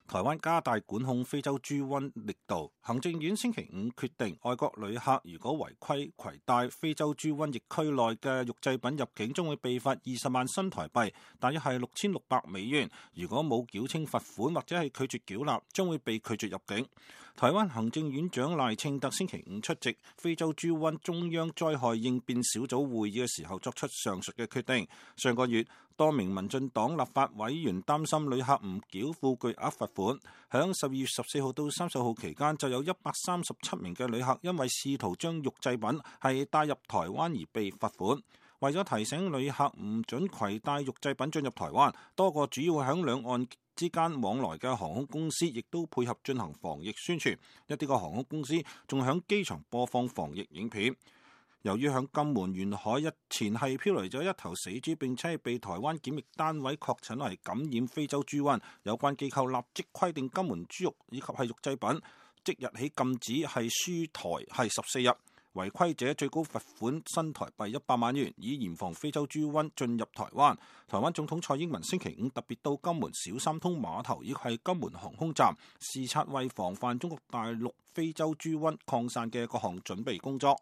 台灣加大管控非洲豬瘟力度，行政院星期五決定，外國旅客如果違規攜帶非洲豬瘟疫區內嘅肉製品入境，將會被罰20萬新台幣，大約係6600美元。如果冇繳清罰款或者係拒絕繳納，將會被拒絕入境。台灣行政院長賴清德星期五出席非洲豬瘟中央災害應變小組會議嘅時候作出上述嘅決定。上個月，多名民進黨立法委員擔心旅客唔繳付巨額罰款，響12月14號到30號期間，就有137名嘅旅客因為試圖將肉製品係帶入台灣而被罰款。為咗提醒旅客唔准攜帶肉製品進入台灣，多個主要響兩岸之間往來嘅航空公司亦都配合進行防疫宣傳，一啲個航空公司仲響機場播放防疫影片。由於響金門沿海日前係飄嚟咗一頭死豬，並且係被台灣檢疫單位確診係感染非洲豬瘟，有關機構立即規定金門豬肉以及係肉製品即日起禁止係輸台係14日，違規者最高罰款新台幣100萬元，以嚴防非洲豬瘟進入台灣。台灣總統蔡英文星期五特別到金門小三通碼頭以及係金門航空站視察，為防範中國大陸非洲豬瘟擴散嘅各項準備工作。